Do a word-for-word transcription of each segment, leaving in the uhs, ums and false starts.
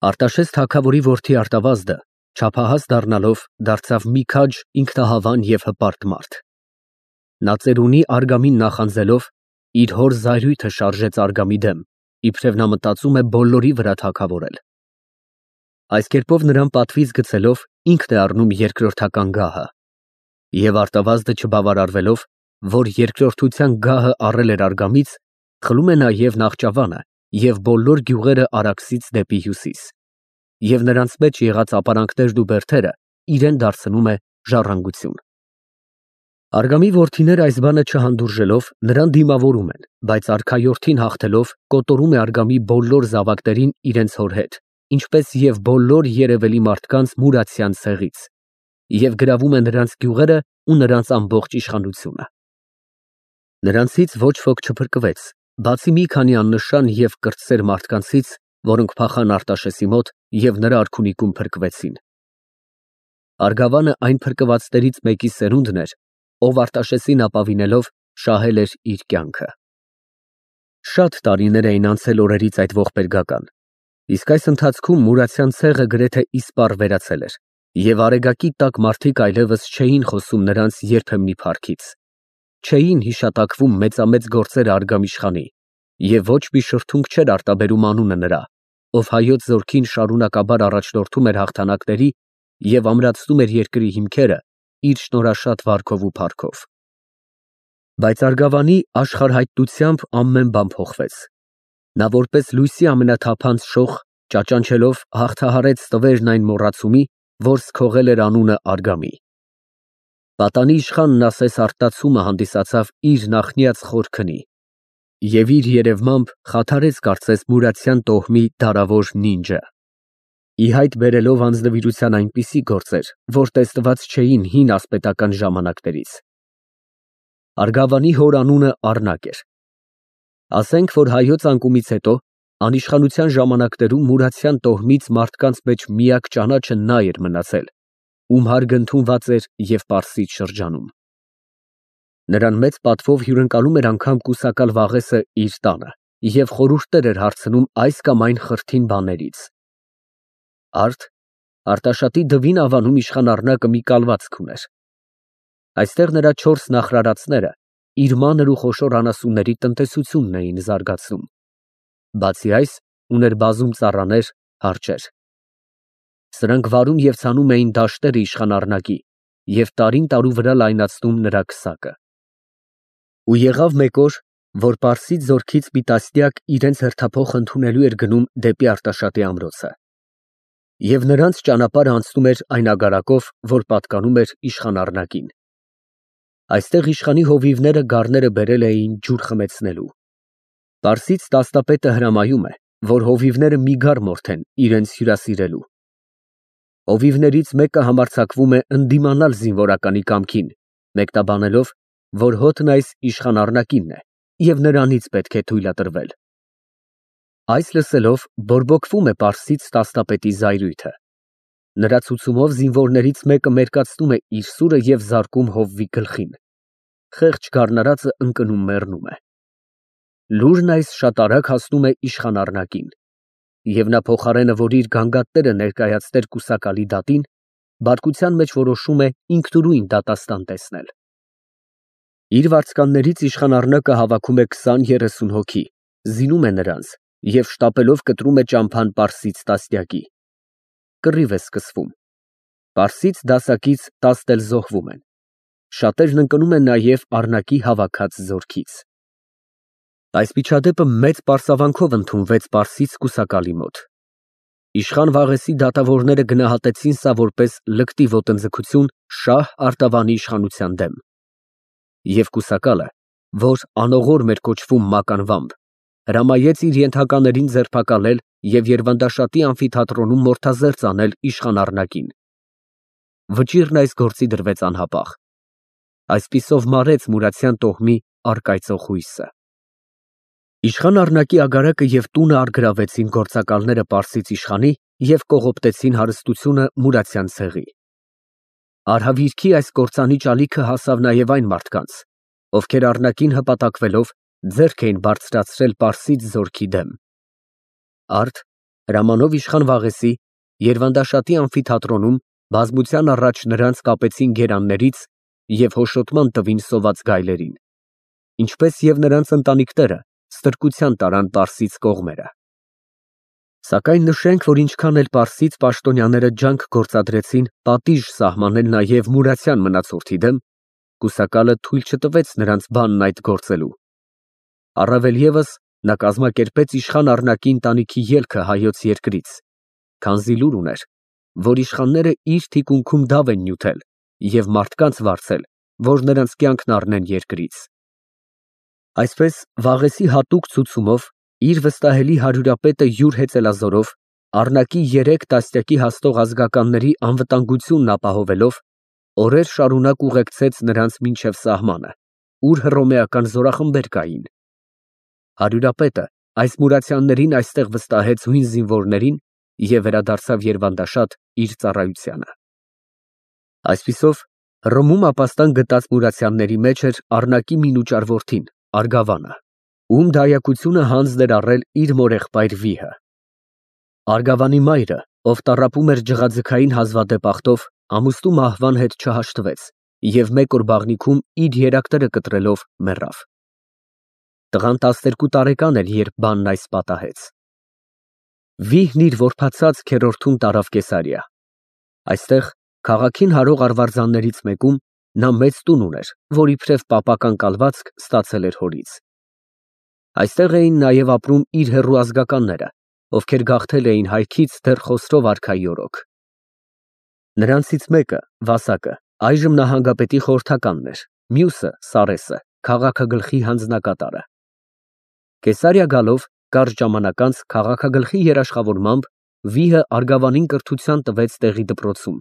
Արտաշես թագավորի որդի Արտավազդը չափահաս դառնալով դարձավ մի քաջ, ինքնահավան և հպարտ մարդ։ Նա ծերունի Արգամին նախանձելով իր հոր զայրույթը շարժեց Արգամի դեմ, իբրև նա մտածում է բոլորի վրա թագավորել։ Այս կերպով նրան պատվից գցելով ինքն է առնում երկրորդական գահը։ Եվ Արտավազդը չբավարարվելով, որ երկրորդության գահը առել էր Արգամից, խլում է նաև Նախճավանը և բոլոր գյուղերը Արաքսից դեպի հյուսիս, և նրանց մեջ եղած ապարանքներն ու բերդերը իրեն դարձնում է ժառանգություն։ Արգամի որդիները այս բանը չհանդուրժելով նրան դիմավորում են, բայց արքայորդին հաղթելով կոտորում է Արգամի բոլոր զավակներին իրենց հոր հետ, ինչպես և բոլոր երևելի մարդկանց Մուրացյան ցեղից, և գրավում է նրանց գյուղերը ու նրանց ամբողջ իշխանությունը։ Նրանցից ոչ ոք չփրկվեց, բացի մի քանի աննշան և կրտսեր մարդկանցից, որոնք փախան Արտաշեսի մոտ և նրա արքունիքում փրկվեցին։ Արգավանը այն փրկվածներից մեկի սերունդն էր, ով Արտաշեսին ապավինելով շահել էր իր կյանքը։ Շատ տարիներ էին անցել օրերից այդ ողբերգական, իսկ այս ընթացքում Մուրացյան ցեղը գրեթե իսպառ վերացել էր, և արեգակի տակ մարդիկ այլևս չէին խոսում նրանց երբեմնի փառքից, չէին հիշատակվում մեծամեծ գործերը Արգամիշխանի, և ոչ մի շրթունք չէր արտաբերում անունը նրա, ով հայոց զորքին շարունակաբար առաջնորդում էր հաղթանակների և ամրացնում էր երկրի հիմքերը իր շնորհաշատ վարքով ու փառքով։ Բայց Արգավանի աշխարհայտությամբ ամեն բան փոխվեց։ Նա որպես լույսի ամենաթափանց շող, ճաճանչելով հաղթահարեց ստվերն այն մոռացումի, որ սքողել էր անունը Արգամի։ Պատանի իշխանն ասես արտացումը հանդիսացավ իր նախնյաց խոր քնի, և իր երևմամբ խաթարեց կարծես Մուրացյան տոհմի դարավոր նինջը, ի հայտ բերելով անձնվիրության այնպիսի գործեր, որ տեսնված չէին հին ասպետական ժամանակներից։ Արգավանի հոր անունը Առնակ էր։ Ասենք, որ հայոց անկումից հետո անիշխանության ժամանակներում Մուրացյան տոհմից մարդկանց մեջ միակ ճանաչը նա էր մնացել, ում հարգը ընդունված էր և Պարսից շրջանում։ Նրան մեծ պատվով հյուրընկալում էր անգամ կուսակալ Վաղեսը իր տանը և խորհուրդներ էր հարցնում այս կամ այն խրթին բաներից։ Արդ Արտաշատի Դվին անվանում իշխան Առնակը մի կալվածք ուներ։ Այստեղ նրա չորս նախրարածները իր մանր ու խոշոր անասունների տնտեսությունն էին զարգացնում։ Բացի այս, ուներ բազում ծառաներ, հարճեր։ Սրանք վարում և ցանում էին դաշտերը իշխան Առնակի և տարին տարու վրա լայնացնում նրա քսակը։ Ու եղավ մեկ օր, որ Պարսից զորքից մի տասնյակ իրենց հերթափոխ ընդունելու էր գնում դեպի Արտաշատի ամրոցը։ Եվ նրանց ճանապարհը անցնում էր այն ագարակով, որ պատկանում էր իշխան Առնակին։ Այստեղ իշխանի հովիվները գառները բերել էին ջուր խմեցնելու։ Պարսից տասնապետը հրամայում է, որ հովիվները մի գառ մորթեն իրենց հյուրասիրելու։ Հովիվներից մեկը համարձակվում է ընդդիմանալ զինվորականի կամքին, մեկնաբանելով, որ հոտն այս իշխան Առնակինն է և նրանից պետք է թույլատրվել։ Այս լսելով բորբոքվում է Պարսից տասնապետի զայրույթը։ Նրա ցուցումով զինվորներից մեկը մերկացնում է իր սուրը և զարկում հովվի գլխին։ Խեղճ գառնարածը ընկնում մեռնում է։ Լուրն այս շատ արագ հասնում է իշխան Առնակին, և նա փոխարենը, որ իր գանգատները ներկայացներ կուսակալի դատին, բարկության մեջ որոշում է ինքնուրույն դատաստան տեսնել։ Իր վարձկաններից իշխան Առնակը հավաքում է քսան֊երեսուն հոգի, զինում է նրանց և շտապելով կտրում է ճամփան Պարսից տասնյակի։ Կռիվ է սկսվում։ Պարսից դասակից տասն էլ զոհվում են։ Շատերն ընկնում են նաև Առնակի հավաքած զորքից։ Այս միջադեպը մեծ պարսավանքով ընդունվեց Պարսից կուսակալի մոտ։ Իշխան Վաղեսի դատավորները գնահատեցին սա որպես լկտի ոտնձգություն շահ Արտավանի իշխանության դեմ։ Եվ կուսակալը, որ անողորմ էր կոչվում մակ անվամբ, հրամայեց իր ենթականերին ձերբակալել և Երվանդաշատի ամֆիթատրոնում մորթազերծ անել իշխան Առնակին։ Վճիռն այս գործի դրվեց անհապաղ։ Այսպիսով մարեց Մուրացյան տոհմի առկայծող հույսը։ Իշխան Առնակի ագարակը և տունը առգրավեցին գործակալները Պարսից իշխանի և կողոպտեցին հարստությունը Մուրացյան ցեղի։ Արհավիրքի այս կործանիչ ալիքը հասավ նաև այն մարդկանց, ովքեր Առնակին հպատակվելով ձեռք էին բարձրացրել Պարսից զորքի դեմ։ Արդ Հրամանով իշխան Վաղեսի Երվանդաշատի ամֆիթատրոնում բազմության առաջ նրանց կապեցին գերաններից և հոշոտման տվին սոված գայլերին, ինչպես և նրանց ընտանիքները ստրկության տարան Պարսից կողմերը։ Սակայն նշենք, որ ինչքան էլ պարսից պաշտոնյաները ջանք գործադրեցին պատիժ սահմանել նաև Մուրացյան մնացորդի դեմ, կուսակալը թույլ չտվեց նրանց բանն այդ գործելու։ Առավել ևս նա կազմակերպեց իշխան Առնակի ընտանիքի ելքը հայոց երկրից, քանզի լուր ուներ, որ իշխանները իր թիկունքում դավ են նյութել և մարդկանց վարձել, որ նրանց կյանքն առնեն երկրից։ Այսպես Վաղեսի հատուկ ցուցումով իր վստահելի հարյուրապետը յուր հեծելազորով Առնակի երեք տասնյակի հասնող ազգականների անվտանգությունն ապահովելով օրեր շարունակ ուղեկցեց նրանց մինչև սահմանը, ուր հռոմեական զորախմբեր կային։ Հարյուրապետը այս մուրացյաններին այստեղ վստահեց հույն զինվորներին և վերադարձավ Երվանդաշատ իր ծառայությանը։ Այսպիսով Հռոմում ապաստան գտած մուրացյանների մեջ էր Առնակի մինուճար որդին Արգավանը, ում դայակությունը հանձն էր առել իր մորեղբայր Վիհը։ Արգավանի մայրը, ով տառապում էր ջղաձգային հազվադեպ ախտով, ամուսնու մահվան հետ չհաշտվեց և մեկ օր բաղնիքում իր երակները կտրելով մեռավ։ Տղան տասներկու տարեկան էր, երբ բանն այս պատահեց։ Վիհն իր որբացած քերորդում տարավ Կեսարիա։ Այստեղ քաղաքին հարող արվարձաններից մեկում նա մեծ տուն ուներ, որ իբրև պապական կալվածք ստացել էր հորից։ Այստեղ էին նաև ապրում իր հեռու ազգականները, ովքեր գաղթել էին հայքից դեռ Խոսրով արքայի օրոք։ Նրանցից մեկը, Վասակը, այժմ նահանգապետի խորհրդականն էր, մյուսը՝ Սարեսը, քաղաքագլխի հանձնակատարը։ Կեսարիա գալով կարճ ժամանակ անց քաղաքագլխի երաշխավորմամբ Վիհը Արգավանին կրթության տվեց տեղի դպրոցում,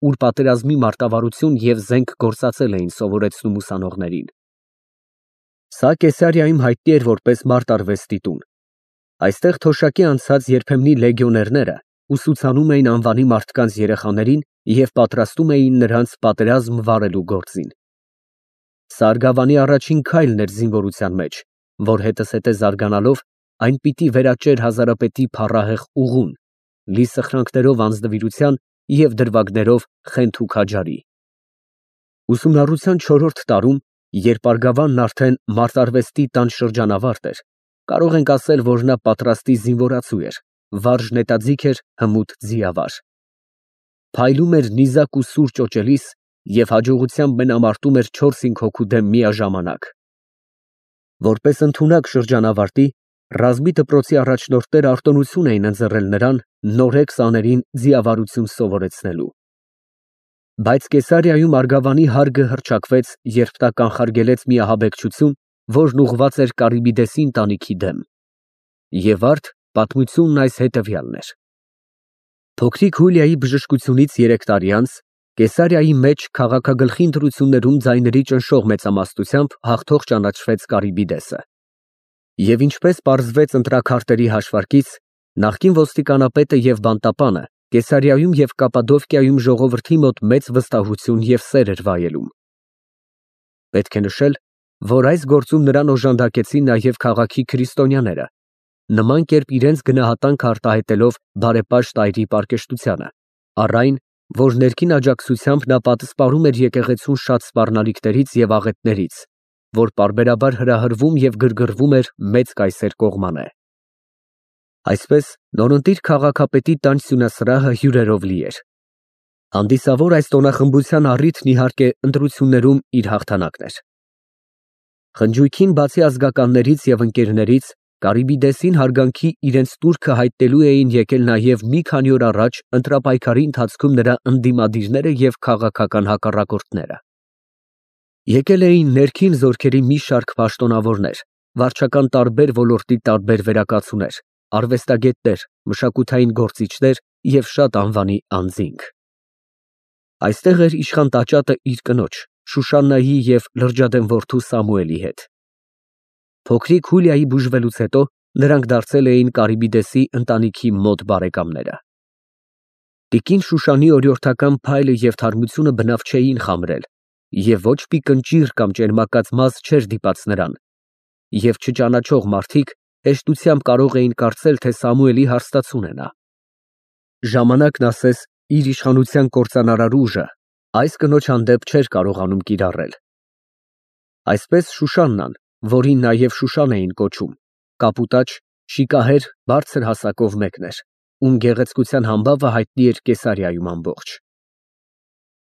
ուր պատերազմի մարտավարություն և զենք գործածել էին սովորեցնում ուսանողներին։ Սա Կեսարիայում հայտնի էր որպես մարտարվեստի տուն։ Այստեղ թոշակի անցած երբեմնի լեգիոներները ուսուցանում էին անվանի մարդկանց երեխաներին և պատրաստում էին նրանց պատերազմ վարելու գործին։ Սա Արգավանի առաջին քայլն էր զինվորության մեջ, որ հետզհետե զարգանալով այն պիտի վերաճեր հազարապետի փառահեղ ուղուն, լի սխրանքներով անձնվիրության և դրվագներով խենթ ու քաջարի։ Ուսումնառության չորրորդ տարում, երբ Արգավանն արդեն մարտարվեստի տան շրջանավարտ էր, կարող ենք ասել, որ նա պատրաստի զինվորացու էր, վարժ նետաձիգ էր, հմուտ ձիավար։ Փայլում էր նիզակ ու սուր ճոճելիս և հաջողությամբ մենամարտում էր չորս֊հինգ հոգու դեմ միաժամանակ։ Որպես ընդունակ շրջանավարտի, ռազմի դպրոցի առաջնորդները արտոնություն էին ընձեռել նրան նորեկ սաներին ձիավարություն սովորեցնելու։ Բայց Կեսարիայում Արգավանի հարգը հռչակվեց, երբ նա կանխարգելեց մի ահաբեկչություն, որն ուղղված էր Կարիբիդեսի ընտանիքի դեմ։ Եվ արդ պատմությունն այս հետևյալն էր. Փոքրիկ Հուլիայի բժշկությունից երեք տարի անց Կեսարիայի մեջ քաղաքագլխի ընտրություններում ձայների ճնշող մեծամասնությամբ հաղթող ճանաչվեց Կարիբիդեսը։ Եվ ինչպես պարզվեց ընտրաքարտերի հաշվարկից, նախկին ոստիկանապետը և բանտապանը Կեսարիայում և Կապադովկիայում ժողովրդի մոտ մեծ վստահություն և սեր էր վայելում։ Պետք է նշել, որ այս գործում նրան օժանդակեցին նաև քաղաքի քրիստոնյաները, նման կերպ իրենց գնահատանքը արտահայտելով բարեպաշտ այրի պարկեշտությանը, առ այն, որ ներքին աջակցությամբ նա պատսպարում էր եկեղեցուն շատ սպառնալիքներից և աղետներից, որ պարբերաբար հրահրվում և գրգռվում էր Մեծ կայսեր կողմանե։ Այսպես նորընտիր քաղաքապետի տան սյունասրահը հյուրերով լի էր։ Հանդիսավոր այս տոնախմբության առիթն իհարկե ընտրություններում իր հաղթանակն էր։ Խնջույքին բացի ազգականներից և ընկերներից Կարիբիդեսին հարգանքի իրենց տուրքը հայտնելու էին եկել նաև մի քանի օր առաջ ընտրապայքարի ընթացքում նրա ընդդիմադիրները և քաղաքական հակառակորդները։ Եկել էին ներքին զորքերի մի շարք պաշտոնավորներ, վարչական տարբեր ոլորտի տարբեր վերակացուներ, արվեստագետներ, մշակութային գործիչներ և շատ անվանի անձինք։ Այստեղ էր իշխան տաճատը իր կնոջ Շուշաննայի և լրջադեմ որդու Սամուելի հետ։ Փոքրիկ Հուլիայի բուժվելուց հետո նրանք դարձել էին Կարիբիդեսի ընտանիքի մոտ բարեկամները։ Տիկին Շուշանի օրիորդական փայլը և թարմությունը բնավ չէին խամրել, և ոչ մի կնճիռ կամ ճերմակած մազ չէր դիպած նրան, և չճանաչող մարդիկ հեշտությամբ կարող էին կարծել, թե Սամուելի հարստացուն է նա։ Ժամանակն ասես իր իշխանության կործանարար ուժը այս կնոջ հանդեպ չէր կարողանում կիրառել։ Այսպես Շուշաննան, որին նաև Շուշան էին կոչում, կապուտաչ, շիկահեր, բարձր հասակով մեկն էր, ում գեղեցկության համբավը հայտնի էր Կեսարիայում ամբողջ։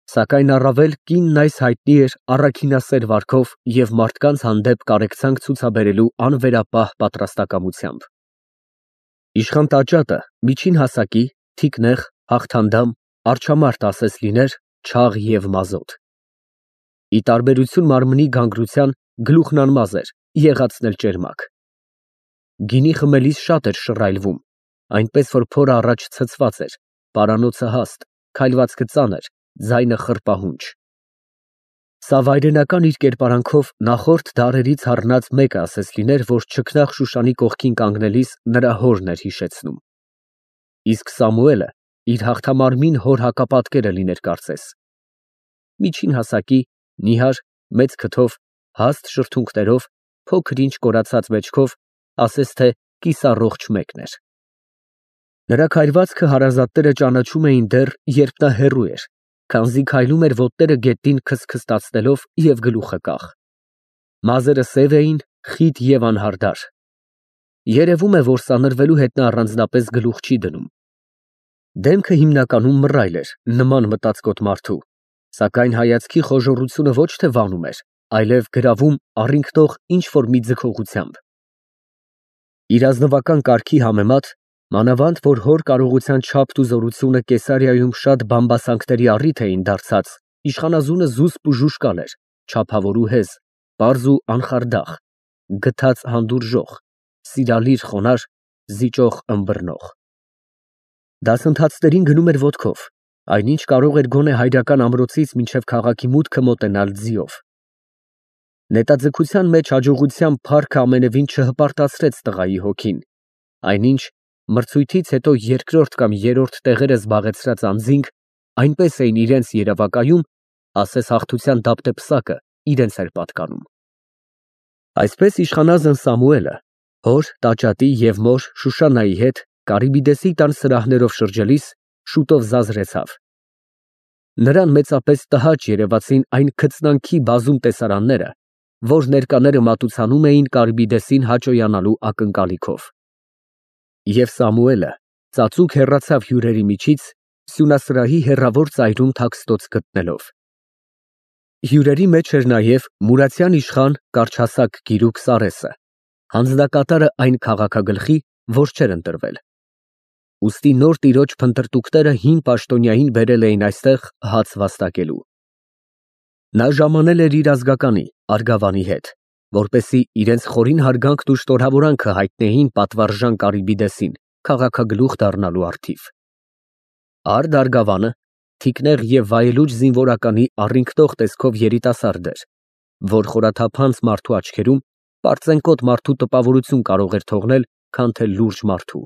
Սակայն առավել կինն այս հայտնի էր առաքինասեր վարքով և մարդկանց հանդեպ կարեկցանք ցուցաբերելու անվերապահ պատրաստակամությամբ։ Իշխան տաճատը միջին հասակի, թիկնեղ, հաղթանդամ, արջամարդ ասես լիներ, չաղ և մազոտ։ Ի տարբերություն մարմնի գանգրության, գլուխն անմազ էր, եղածն էլ ճերմակ։ Գինի խմելիս շատ էր շռայլվում, այնպես որ փորը առաջ ցցված էր, պարանոցը հաստ, քայլվածքը ծանր, ձայնը խռպահունչ։ Սա վայրենական իր կերպարանքով նախորդ դարերից առնած մեկը ասես լիներ, որ չքնաղ Շուշանի կողքին կանգնելիս նրա հորն էր հիշեցնում։ Իսկ Սամուելը իր հաղթամարմին հոր հակապատկերը լիներ կարծես։ Միջին հասակի, նիհար, մեծ քթով, հաստ շրթունքներով, փոքր ինչ կորացած մեջքով, ասես թե կիսառողջ մեկն էր։ Նրա քայլվածքը հարազատները ճանաչում էին դեռ, երբ նա հեռու էր, քանզի քայլում էր ոտները գետնին քստքստացնելով և գլուխը կախ։ Մազերը սև էին, խիտ և անհարդար։ Երևում է, որ սանրվելու հետ նա առանձնապես գլուխ չի դնում։ Դեմքը հիմնականում մռայլ էր, նման մտածկոտ մարդու, սակայն հայացքի խոժոռությունը ոչ թե վանում էր, այլև գրավում առինքնող ինչ-որ մի ձգողությամբ։ Իր ազնվական կարգի համեմատ, մանավանդ որ հոր կարողության չափն ու զորությունը Կեսարիայում շատ բամբասանքների առիթ էին դարձած, իշխանազունը զուսպ ու ժուժկալ էր, չափավոր ու հեզ, պարզ ու անխարդախ, գթած հանդուրժող, սիրալիր խոնարհ, զիջող ըմբռնող։ Դասընթացներին գնում էր ոտքով, այնինչ կարող էր գոնե հայրական ամրոցից մինչև քաղաքի մուտքը մոտենալ ձիով։ Նետաձգության մեջ հաջողության փառքը ամենևին չհպարտացրեց տղայի հոգին, այնինչ մրցույթից հետո երկրորդ կամ երրորդ տեղերը զբաղեցրած անձինք այնպես էին իրենց երևակայում, ասես հաղթության դափտեպսակը իրենց էր պատկանում։ Այսպես իշխանազն Սամուելը հոր, տաճատի և մոր Շուշաննայի հետ Կարիբիդեսի տան սրահներով շրջելիս շուտով զազրեցավ։ Նրան մեծապես տհաճ երևացին այն քծնանքի բազում տեսարանները, որ ներկաները մատուցանում էին Կարիբիդեսին հաճոյանալու ակնկալիքով։ Եվ Սամուելը ծածուկ հեռացավ հյուրերի միջից, սյունասրահի հեռավոր ծայրում թաքստոց գտնելով։ Հյուրերի մեջ էր նաև Մուրացյան իշխան կարճհասակ գիրուկ Սարեսը, հանձնակատարը այն քաղաքագլխի, որ չէր ընտրվել։ Ուստի նոր տիրոջ փնտրտուքները հին պաշտոնյային բերել էին այստեղ հաց վաստակելու։ Նա ժամանել էր իր ազգականի Արգավանի հետ, որպեսզի իրենց խորին հարգանքն ու շնորհավորանքը հայտնեին պատվարժան Կարիբիդեսին քաղաքագլուխ դառնալու առթիվ։ Արդ Արգավանը թիկնեղ և վայելուչ զինվորականի առինքնող տեսքով երիտասարդ էր, որ խորաթափանց մարդու աչքերում պարծենկոտ մարդու տպավորություն կարող էր թողնել, քան թե լուրջ մարդու։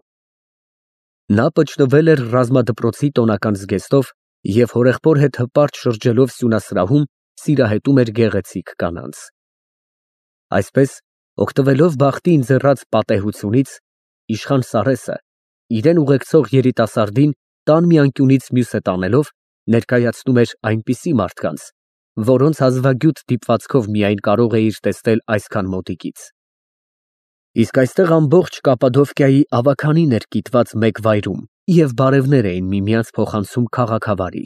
Նա պճնվել էր ռազմադպրոցի տոնական զգեստով և հորեղբոր հետ հպարտ շրջելով սյունասրահում սիրահետում էր գեղեցիկ կանանց։ Այսպես, օգտվելով բախտի ընձեռած պատեհությունից, իշխան Սարեսը իրեն ուղեկցող երիտասարդին տան մի անկյունից մյուսը տանելով ներկայացնում էր այնպիսի մարդկանց, որոնց հազվագյուտ դիպվածքով միայն կարող էիր տեսնել այսքան մոտիկից։ Իսկ այստեղ ամբողջ Կապադովկիայի ավագանին էր կիտված մեկ վայրում և բարևներ էին միմյանց փոխանցում քաղաքավարի։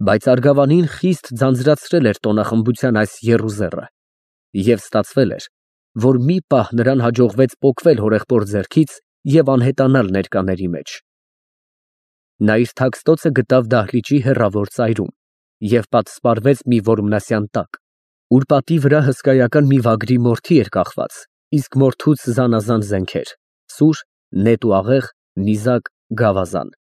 Բայց Արգավանին խիստ ձանձրացրել էր տոնախմբության այս եռուզեռը, և ստացվել էր, որ մի պահ նրան հաջողվեց պոկվել հորեղբոր ձեռքից և անհետանալ ներկաների մեջ։ Նա իր թաքստոցը գտավ դահլիճի հեռավոր ծայրում և պատսպարվեց մի որմնասյան տակ, ուր պատի վրա հսկայական մի վագրի մորթի էր կախված, իսկ մորթուց զանազան զենքեր՝ սուր, նետ ու աղեղ, նիզակ, գավազան։